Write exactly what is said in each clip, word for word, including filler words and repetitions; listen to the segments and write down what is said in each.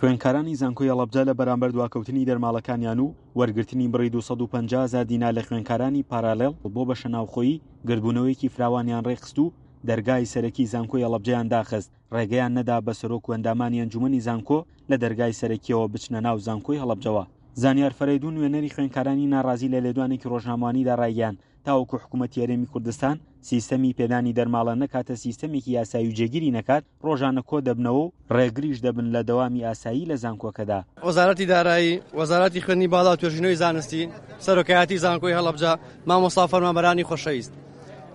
خوێندکارانی زانکۆی هەڵەبجە لە بەرامبەر دواکەوتنی دەرماڵەکانیان و وەرگرتنی بڕی دوو سەد و پەنجا هەزار دینار لە خوێندکارانی پارالێڵ بۆ بەشە ناوخۆیی گردبوونەوەیەکی فراوانیان ڕێکخست و دەرگای سەرەکی زانکۆی هەڵەبجەیان داخست، ڕێگەیان نەدا بە سەرۆک و ئەندامانی ئەنجومەنی زانکۆ لە دەرگای سەرەکیەوە بچنە ناو زانکۆی هەڵەبجەوە. زانیار فەرەیدون نوێنەری خوێندکارانی ناڕازی لە لێدوانێکی ڕۆژنامەوانیدا ڕایگەیاند، تاوەکو حکوومەتی هەرێمی کوردستان سیستەمی پێدانی دەرماڵە نەکاتە سیستەمێکی یاسایی و جێگیری نەکات، ڕۆژانە کۆ دەبنەوە و ڕێگریش دەبن لە دەوامی ئاسایی لە زانکۆکەدا. وەزارەتی دارایی، وەزارەتی خوێندنی باڵا و توێژینەوەی زانستی، سەرۆکایەتی زانکۆی هەڵەبجە، مامۆستا فەرمانبەرانی خۆشەویست،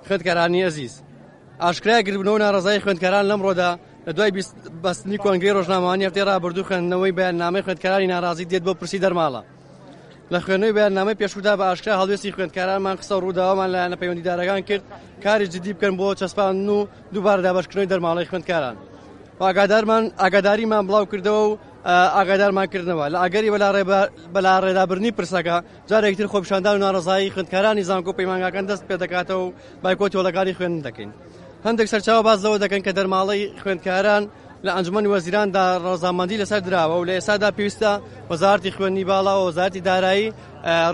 خوێندکارانی ئەزیز، ئاشکرای گردبوونەوە ناڕەزایی خوێندکاران لەمڕۆدا لە دوای بەستنی کۆنگرەی ڕۆژنامەوانی هەفتەی ڕابردوو خوێندنەوەی بەیاننامەی خوێندکارانی ناڕازی دێت بۆ پرسی دەرماڵە. لە خوێندنەوەی بەیاننامەی پێشوودا بە ئاشکرا هەڵوێستی خوێندکارانمان قسە و ڕووداوەمان لایەنە پەیوەندیدارەکان کرد کاری جدی بکەن بۆ چەسپاندن و دووبارە دابەشکردنەوەی دەرماڵەی خوێندکاران. ئاگادارمان ئاگاداریمان بڵاو کردەوە و ئاگادارمان کردنەوە لە ئەگەری بەلاڕێدابردنی پرسەکە جارێکتر خۆپیشاندان و ناڕەزایی خوێندکارانی زانکۆ پەیمانگاکان دەست پێ دەکاتەوە و بایکۆتی هۆڵەکانی خوێندن دەکەین. هەندێک سەرچاوە باس لەوە دەکەن کە دەرماڵەی خوێندکاران لە ئەنجومەنی وەزیراندا ڕەزامەندی لەسەر دراوە و لە ئێستادا پێویستە وەزارەتی خوێندنی باڵا و وەزارەتی دارایی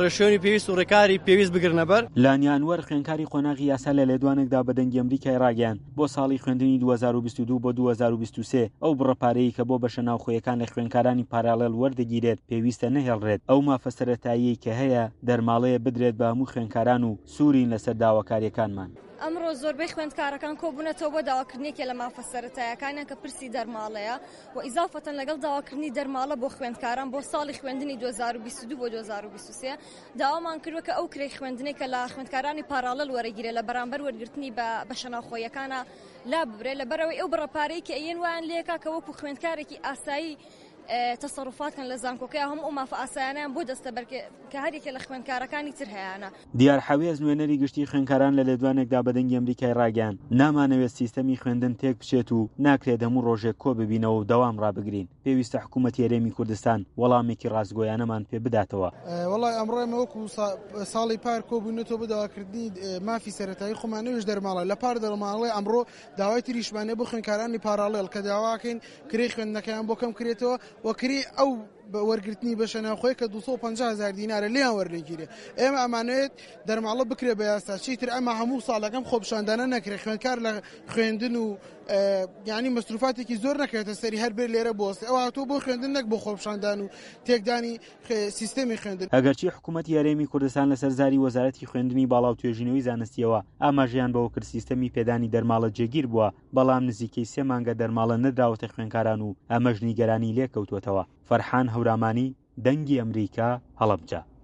ڕێشوێنی پێویست و ڕێکاری پێویست بگرنە بەر. لانیا ئەنوەر خوێندکاری قۆناغی یاسا لە لێدوانێکدا بە دەنگی ئەمریکای ڕاگەیاند، بۆ ساڵی خوێندنی دوو هەزار و بیست و دوو بۆ دوو هەزار و بیست و سێ ئەو بڕە پارەیەی کە بۆ بەشە ناوخۆیەکان لە خوێندکارانی پارالێل وەردەگیرێت پێویستە نەهێڵرێت، ئەو مافە سەرەتاییەی کە هەیە دەرماڵەیە بدرێت بە هەموو خوێندکاران و سوورین لەسەر داواکاریەکانمان. ئەمڕۆ زۆربەی خوێندکارەکان کۆبوونەتەوە بۆ داواکردنێکێ لە مافە سەرەتایەکانیان کە پرسی دەرماڵەیە و ئیزافەتەن لەگەڵ داواکردنی دەرماڵە بۆ خوێندکاران بۆ ساڵی خوێندنی دوو هەزار و بیست و دوو بۆ دوو هەزار و بیست و سێ داوامان کردووە کە ئەو کرێی خوێندنێک کە لە خوێندکارانی پاراڵێل وەرەگیرێ لە بەرامبەر وەرگرتنی بە بەشە ناوخۆیەکانە لا ببرێ، لەبەرەوەی ئەو بڕە پارەی کە ئەیەن وایان لێکا کە وەکو خوێندکارێکی ئاسایی تەسەروفات کەن لە زانکۆکەی هەموو ئەو مافە ئاسایانیان بۆ دەستەبەر کە هەرێکە لە خوێندکارەکانی تر هەیانە. دیار حەوێز نوێنەری گشتی خوێندکاران لە لێدوانێکدا بە دەنگی ئەمریکای ڕاگەیاند، نامانەوێت سیستەمی خوێندن تێک بچێت و ناکرێت هەموو ڕۆژێک کۆ ببینەوە و دەوام ڕابگرین، پێویستە حکوومەتی هەرێمی کوردستان وەڵامێکی ڕاستگۆیانەمان پێ بداتەوە. وەڵای ئەمڕۆ ئێمە وەکو ساڵی پار کۆبووینەتەوە بۆ داواکردنی مافی سەرەتایی خۆمان، نەویش دەرماڵە لە پار دەرماڵەی ئەمڕۆ داوای تریشمانە بۆ خوێندکارانی پاراڵێڵ کە داواکەین کرێی خوێندنەکەیان بۆ کەم کرێتەوە و کرێی ئەو وەرگرتنی بەشە ناوخۆی کە دوو سەد و پەنجا هەزار دینارە لێیان وەرنەگیرێ. ئێمە ئەمانەوێت دەرماڵە بکرێ بە یاسا، چیتر ئەمە هەموو ساڵەکەم خۆپیشاندانە نەکرێ، خوێندکار لە خوێندن و یعنی مەسروفاتێکی زۆر نەکرێتە سەری هەر بێ لێرە بۆستێ. ئەو هاتووە بۆ خوێندن نەک بۆ خۆپیشاندان و تێکدانی سیستەمی خوێندن. ئەگەرچی حکوومەتی هەرێمی کوردستان لەسەر زاری وەزارەتی خوێندنی باڵا و توێژینەوەی زانستیەوە ئاماژەیان بەوە کرد سیستەمی پێدانی دەرماڵە جێگیر بووە، بەڵام نزیکەی سێ مانگە دەرماڵە نەدراوەتە خوێندکاران و ئەمەش نیگەرانی لێکەوتووەتەوە. فەرحان هەورامانی، دەنگی ئەمریکا، هەڵەبجە.